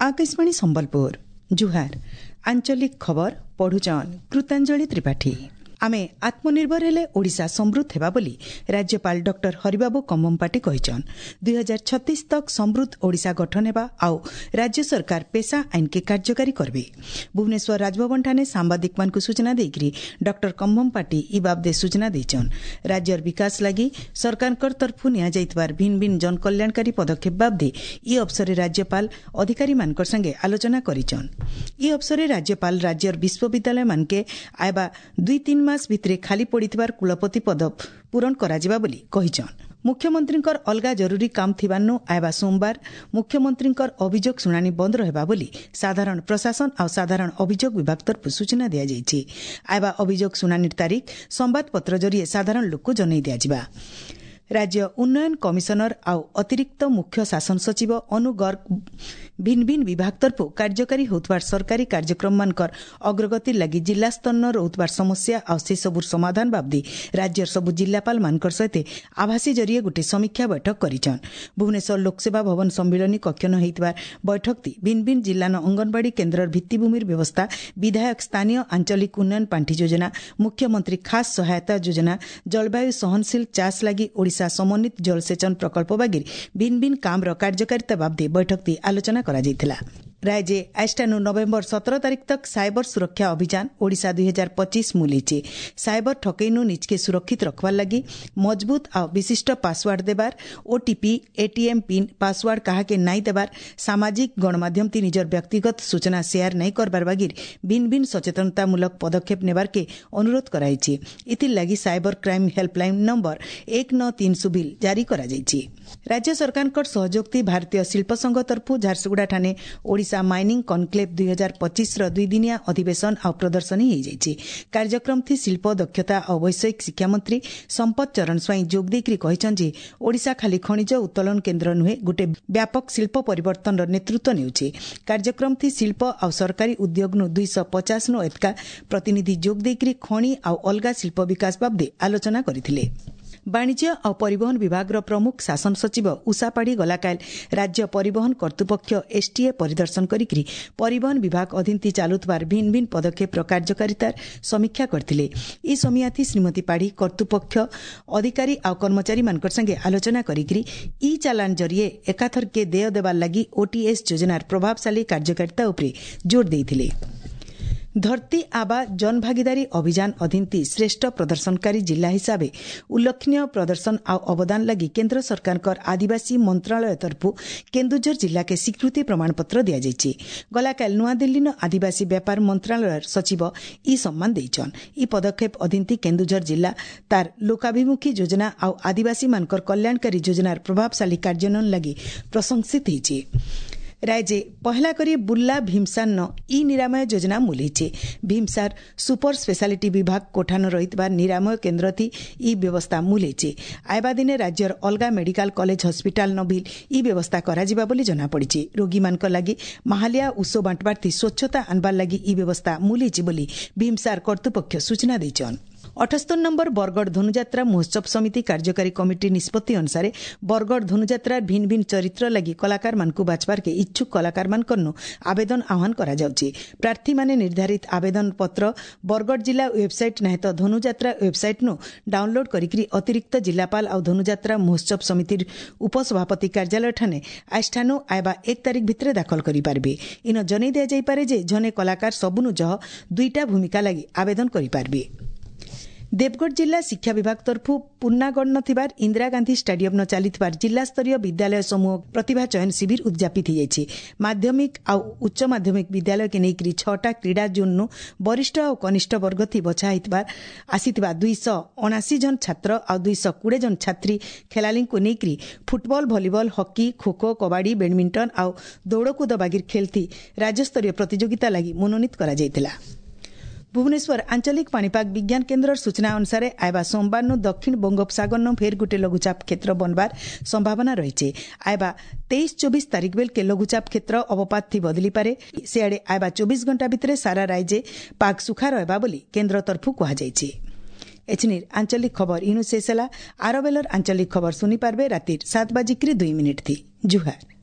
ଆକାଶବାଣୀ ସମ୍ବଲପୁର। ଜୁହାର। ଆଞ୍ଚଳିକ ଖବର ପଢୁଛନ୍ କୃତାଞ୍ଜଳି ତ୍ରିପାଠୀ। ଆମେ ଆତ୍ମନିର୍ଭର ହେଲେ ଓଡ଼ିଶା ସମୃଦ୍ଧ ହେବା ବୋଲି ରାଜ୍ୟପାଳ ଡକ୍ଟର ହରିବାବୁ କମ୍ଭମପାଟି କହିଛନ୍। 2036 ତକ୍ ସମୃଦ୍ଧ ଓଡ଼ିଶା ଗଠନ ହେବା ଆଉ ରାଜ୍ୟ ସରକାର ପେସା ଆଇନକେ କାର୍ଯ୍ୟକାରୀ କରିବେ। ଭୁବନେଶ୍ୱର ରାଜଭବନଠାନେ ସାମ୍ବାଦିକମାନଙ୍କୁ ସୂଚନା ଦେଇକରି ଡକ୍ଟର କମ୍ଭମପାଟି ଇ ବାବଦେ ସୂଚନା ଦେଇଛନ୍। ରାଜ୍ୟର ବିକାଶ ଲାଗି ସରକାରଙ୍କ ତରଫରୁ ନିଆଯାଇଥିବାର ଭିନ୍ନ ଭିନ୍ନ ଜନକଲ୍ୟାଣକାରୀ ପଦକ୍ଷେପ ବାବଦେ ଇ ଅବସରରେ ରାଜ୍ୟପାଳ ଅଧିକାରୀମାନଙ୍କ ସାଙ୍ଗେ ଆଲୋଚନା କରିଛନ୍। ଇ ଅବସରରେ ରାଜ୍ୟପାଳ ରାଜ୍ୟର ବିଶ୍ୱବିଦ୍ୟାଳୟମାନକେ ଆଇବା 2-3 ମାସ ଭିତରେ ଖାଲି ପଡ଼ିଥିବାର କୁଳପତି ପଦ ପୂରଣ କରାଯିବା ବୋଲି କହିଛନ୍। ମୁଖ୍ୟମନ୍ତ୍ରୀଙ୍କର ଅଲଗା ଜରୁରୀ କାମ ଥିବାରୁ ଆଇବା ସୋମବାର ମୁଖ୍ୟମନ୍ତ୍ରୀଙ୍କର ଅଭିଯୋଗ ଶୁଣାଣି ବନ୍ଦ ରହିବା ବୋଲି ସାଧାରଣ ପ୍ରଶାସନ ଆଉ ସାଧାରଣ ଅଭିଯୋଗ ବିଭାଗ ତରଫରୁ ସୂଚନା ଦିଆଯାଇଛି। ଆଇବା ଅଭିଯୋଗ ଶୁଣାଣିର ତାରିଖ ସମ୍ବାଦପତ୍ର ଜରିଏ ସାଧାରଣ ଲୋକକୁ ଜଣାଇ ଦିଆଯିବା। ରାଜ୍ୟ ଉନ୍ନୟନ କମିଶନର ଆଉ ଅତିରିକ୍ତ ମୁଖ୍ୟ ଶାସନ ସଚିବ ଅନୁ ଗର୍ଗ ଭିନ୍ନ ଭିନ୍ନ ବିଭାଗ ତରଫରୁ କାର୍ଯ୍ୟକାରୀ ହେଉଥିବାର ସରକାରୀ କାର୍ଯ୍ୟକ୍ରମମାନଙ୍କର ଅଗ୍ରଗତି ଲାଗି ଜିଲ୍ଲା ସ୍ତରର ରହୁଥିବାର ସମସ୍ୟା ଆଉ ସେସବୁର ସମାଧାନ ବାବଦେ ରାଜ୍ୟର ସବୁ ଜିଲ୍ଲାପାଳମାନଙ୍କର ସହିତ ଆଭାସୀ ଜରିଏ ଗୋଟିଏ ସମୀକ୍ଷା ବୈଠକ କରିଛନ୍। ଭୁବନେଶ୍ୱର ଲୋକସେବା ଭବନ ସମ୍ମିଳନୀ କକ୍ଷନ ହୋଇଥିବା ବୈଠକଟି ଭିନ୍ନ ଭିନ୍ନ ଜିଲ୍ଲାନ ଅଙ୍ଗନବାଡ଼ି କେନ୍ଦ୍ରର ଭିତ୍ତିଭୂମିର ବ୍ୟବସ୍ଥା, ବିଧାୟକ ସ୍ଥାନୀୟ ଆଞ୍ଚଳିକ ଉନ୍ନୟନ ପାଣ୍ଠି ଯୋଜନା, ମୁଖ୍ୟମନ୍ତ୍ରୀ ଖାସ୍ ସହାୟତା ଯୋଜନା, ଜଳବାୟୁ ସହନଶୀଳ ଚାଷ ଲାଗି ଓଡ଼ିଶା ସମନ୍ୱିତ ଜଳସେଚନ ପ୍ରକଳ୍ପ ବାଗିର ଭିନ୍ନ ଭିନ୍ନ କାମର କାର୍ଯ୍ୟକାରିତା ବାବଦେ ବୈଠକଟି ଆଲୋଚନା କରାଯାଇଥିଲା। ରାଜ୍ୟ ଆଜିଠାନୁ ନଭେମ୍ବର 17 ତାରିଖ ତକ୍ ସାଇବର ସୁରକ୍ଷା ଅଭିଯାନ ଓଡ଼ିଶା 2025 ମୁଲିଛି। ସାଇବର ଠକେଇନୁ ନିଜକେ ସୁରକ୍ଷିତ ରଖବାର ଲାଗି ମଜବୁତ ଆଉ ବିଶିଷ୍ଟ ପାସୱାର୍ଡ ଦେବାର, ଓଟିପି, ଏଟିଏମ୍ ପିନ୍, ପାସୱାର୍ଡ କାହାକେ ନାଇଁ ଦେବାର, ସାମାଜିକ ଗଣମାଧ୍ୟମ ତି ନିଜର ବ୍ୟକ୍ତିଗତ ସୂଚନା ସେୟାର ନାଇଁ କରବାର ବାଗିର ଭିନ୍ନ ଭିନ୍ନ ସଚେତନତାମୂଳକ ପଦକ୍ଷେପ ନେବାରକେ ଅନୁରୋଧ କରାଯାଇଛି। ଏଥିର୍ ଲାଗି cyber crime helpline number 1930 bill ଜାରି କରାଯାଇଛି। ରାଜ୍ୟ ସରକାରଙ୍କର ସହଯୋଗତି ଭାରତୀୟ ଶିଳ୍ପ ସଂଘ ତରଫରୁ ଝାରସୁଗୁଡ଼ାଠାନେ ଓଡ଼ିଶା ମାଇନିଂ କନକ୍ଲେଭ୍ 2025ର 2 ଦିନିଆ ଅଧିବେଶନ ଆଉ ପ୍ରଦର୍ଶନୀ ହୋଇଯାଇଛି। କାର୍ଯ୍ୟକ୍ରମଥି ଶିଳ୍ପ, ଦକ୍ଷତା ଆଉ ବୈଷୟିକ ଶିକ୍ଷାମନ୍ତ୍ରୀ ସମ୍ପଦ ଚରଣ ସ୍ୱାଇଁ ଯୋଗ ଦେଇକରି କହିଛନ୍ତି ଯେ ଓଡ଼ିଶା ଖାଲି ଖଣିଜ ଉତ୍ତୋଳନ କେନ୍ଦ୍ର ନୁହେଁ, ଗୋଟେ ବ୍ୟାପକ ଶିଳ୍ପ ପରିବର୍ତ୍ତନର ନେତୃତ୍ୱ ନେଉଛି। କାର୍ଯ୍ୟକ୍ରମଥି ଶିଳ୍ପ ଆଉ ସରକାରୀ ଉଦ୍ୟୋଗନୁ 250ନୁ ଏତକା ପ୍ରତିନିଧି ଯୋଗ ଦେଇକରି ଖଣି ଆଉ ଅଲଗା ଶିଳ୍ପ ବିକାଶ ବାବଦେ ଆଲୋଚନା କରିଥିଲେ। ବାଣିଜ୍ୟ ଆଉ ପରିବହନ ବିଭାଗର ପ୍ରମୁଖ ଶାସନ ସଚିବ ଉଷା ପାଢ଼ୀ ଗଲାକାଲ ରାଜ୍ୟ ପରିବହନ କର୍ତ୍ତୃପକ୍ଷ ଏସ୍ଟିଏ ପରିଦର୍ଶନ କରିକି ପରିବହନ ବିଭାଗ ଅଧୀନତି ଚାଲୁଥିବାର ଭିନ୍ନ ଭିନ୍ନ ପଦକ୍ଷେପର କାର୍ଯ୍ୟକାରିତାର ସମୀକ୍ଷା କରିଥିଲେ। ଏହି ସମିୟାଥି ଶ୍ରୀମତୀ ପାଢ଼ୀ କର୍ତ୍ତୃପକ୍ଷ ଅଧିକାରୀ ଆଉ କର୍ମଚାରୀମାନଙ୍କ ସାଙ୍ଗେ ଆଲୋଚନା କରିକି ଇ ଚାଲାଣ ଜରିଏ ଏକାଥରକେ ଦେୟ ଦେବାର ଲାଗି ଓଟିଏସ୍ ଯୋଜନାର ପ୍ରଭାବଶାଳୀ କାର୍ଯ୍ୟକାରିତା ଉପରେ ଜୋର ଦେଇଥିଲେ। ଧରତୀ ଆବା ଜନଭାଗିଦାରୀ ଅଭିଯାନ ଅଧୀନତି ଶ୍ରେଷ୍ଠ ପ୍ରଦର୍ଶନକାରୀ ଜିଲ୍ଲା ହିସାବେ ଉଲ୍ଲେଖନୀୟ ପ୍ରଦର୍ଶନ ଆଉ ଅବଦାନ ଲାଗି କେନ୍ଦ୍ର ସରକାରଙ୍କର ଆଦିବାସୀ ମନ୍ତ୍ରଣାଳୟ ତରଫରୁ କେନ୍ଦୁଝର ଜିଲ୍ଲାକେ ସ୍ୱୀକୃତି ପ୍ରମାଣପତ୍ର ଦିଆଯାଇଛି। ଗଲାକାଲି ନୂଆଦିଲ୍ଲୀନ ଆଦିବାସୀ ବ୍ୟାପାର ମନ୍ତ୍ରଣାଳୟର ସଚିବ ଇ ସମ୍ମାନ ଦେଇଛନ୍। ଇ ପଦକ୍ଷେପ ଅଧୀନତି କେନ୍ଦୁଝର ଜିଲ୍ଲା ତାର ଲୋକାଭିମୁଖୀ ଯୋଜନା ଆଉ ଆଦିବାସୀମାନଙ୍କର କଲ୍ୟାଣକାରୀ ଯୋଜନାର ପ୍ରଭାବଶାଳୀ କାର୍ଯ୍ୟାନ୍ୱୟନ ଲାଗି ପ୍ରଶଂସିତ ହୋଇଛି। ରାଜ୍ୟ ପହଲା କରି ବୁର୍ଲା ଭୀମସାରନ ଇ ନିରାମୟ ଯୋଜନା ମୁଲେଇছে। ଭୀମସାର ସୁପର ସ୍ପେଶାଲିଟି ବିଭାଗ କୋଠାନ ରହିଥିବା ନିରାମୟ କେନ୍ଦ୍ରଥି ଇ ବ୍ୟବସ୍ଥା ମୁଲେଇছে। ଆଇବା ଦିନେ ରାଜ୍ୟର ଅଲଗା ମେଡିକାଲ କଲେଜ ହସ୍ପିଟାଲ ନ ବିଲ୍ ଇ ବ୍ୟବସ୍ଥା କରାଯିବା ବୋଲି ଜଣାପଡ଼ିଛି। ରୋଗୀମାନଙ୍କ ଲାଗି ମାହାଲିଆ ଉଷୋ ବାଣ୍ଟବାର୍ଥି ସ୍ୱଚ୍ଛତା ଆଣବାର ଲାଗି ଇ ବ୍ୟବସ୍ଥା ମୁଲେଇଛି ବୋଲି ଭୀମସାର କର୍ତ୍ତୃପକ୍ଷ ସୂଚନା ଦେଇଛନ୍। 78 ନମ୍ବର ବରଗଡ଼ ଧନୁଯାତ୍ରା ମହୋତ୍ସବ ସମିତି କାର୍ଯ୍ୟକାରୀ କମିଟି ନିଷ୍ପତ୍ତି ଅନୁସାରେ ବରଗଡ଼ ଧନୁଯାତ୍ରାର ଭିନ୍ନ ଭିନ୍ନ ଚରିତ୍ର ଲାଗି କଳାକାରମାନଙ୍କୁ ବାଛବାରକେ ଇଚ୍ଛୁକ କଳାକାରମାନଙ୍କରନୁ ଆବେଦନ ଆହ୍ୱାନ କରାଯାଉଛି। ପ୍ରାର୍ଥୀମାନେ ନିର୍ଦ୍ଧାରିତ ଆବେଦନ ପତ୍ର ବରଗଡ଼ ଜିଲ୍ଲା ୱେବସାଇଟ୍ ନାହେଁ ତ ଧନୁଯାତ୍ରା ୱେବସାଇଟ୍ନୁ ଡାଉନଲୋଡ୍ କରିକି ଅତିରିକ୍ତ ଜିଲ୍ଲାପାଳ ଆଉ ଧନୁଯାତ୍ରା ମହୋତ୍ସବ ସମିତିର ଉପସଭାପତି କାର୍ଯ୍ୟାଳୟଠାନେ ଆଜିଠାନୁ ଆଇବା 1 ତାରିଖ ଭିତରେ ଦାଖଲ କରିପାରିବେ। ଇନ ଜଣାଇ ଦିଆଯାଇପାରେ ଯେ ଜଣେ କଳାକାର ସବୁନୁ ଜହ 2ଟା ଭୂମିକା ଲାଗି ଆବେଦନ କରିପାରିବେ। ଦେବଗଡ଼ ଜିଲ୍ଲା ଶିକ୍ଷା ବିଭାଗ ତରଫରୁ ପୁର୍ଣ୍ଣାଗଡ଼ନ ଥିବାର ଇନ୍ଦିରା ଗାନ୍ଧୀ ଷ୍ଟାଡିୟମ୍ନ ଚାଲିଥିବାର ଜିଲ୍ଲାସ୍ତରୀୟ ବିଦ୍ୟାଳୟ ସମୂହ ପ୍ରତିଭା ଚୟନ ଶିବିର ଉଦ୍ଯାପିତ ହୋଇଯାଇଛି। ମାଧ୍ୟମିକ ଆଉ ଉଚ୍ଚ ମାଧ୍ୟମିକ ବିଦ୍ୟାଳୟକେ ନେଇକରି 6ଟା କ୍ରୀଡ଼ା ଜୋନ୍ନୁ ବରିଷ୍ଠ ଆଉ କନିଷ୍ଠ ବର୍ଗଥି ବଛା ହେଇଥିବା ଆସିଥିବା 279 ଜଣ ଛାତ୍ର ଆଉ 220 ଜଣ ଛାତ୍ରୀ ଖେଳାଳିଙ୍କୁ ନେଇକରି football, volleyball, hockey, kho kho, kabaddi, badminton ଆଉ ଦୌଡ଼କୁଦ ବାଗିର ଖେଳଥି ରାଜ୍ୟସ୍ତରୀୟ ପ୍ରତିଯୋଗିତା ଲାଗି ମନୋନୀତ କରାଯାଇଥିଲା। ଭୁବନେଶ୍ୱର ଆଞ୍ଚଳିକ ପାଣିପାଗ ବିଜ୍ଞାନ କେନ୍ଦ୍ରର ସୂଚନା ଅନୁସାରେ ଆଇବା ସୋମବାରନୁ ଦକ୍ଷିଣ ବଙ୍ଗୋପସାଗରନୁ ଫେର୍ ଗୋଟେ ଲଘୁଚାପ କ୍ଷେତ୍ର ବନବାର ସମ୍ଭାବନା ରହିଛି। ଆଇବା 23-24 ତାରିଖ ବେଲକେ ଲଘୁଚାପ କ୍ଷେତ୍ର ଅବପାତ ଥି ବଦଳିପାରେ। ସିଆଡ଼େ ଆଇବା 24 ଘଣ୍ଟା ଭିତରେ ସାରା ରାଜ୍ୟ ପାଗ ସୁଖା ରହିବା ବୋଲି କେନ୍ଦ୍ର ତରଫରୁ କୁହାଯାଇଛି। ଏଛିନିର ଆଞ୍ଚଳିକ ଖବର ଇନୁ ଶେଷ ହେଲା। ଆର ବେଲର ଆଞ୍ଚଳିକ ଖବର ଶୁଣିପାରିବେ ରାତିର 7 ବାଜିକିରି 2 ମିନିଟ୍ ଥି। ଜୁହାର।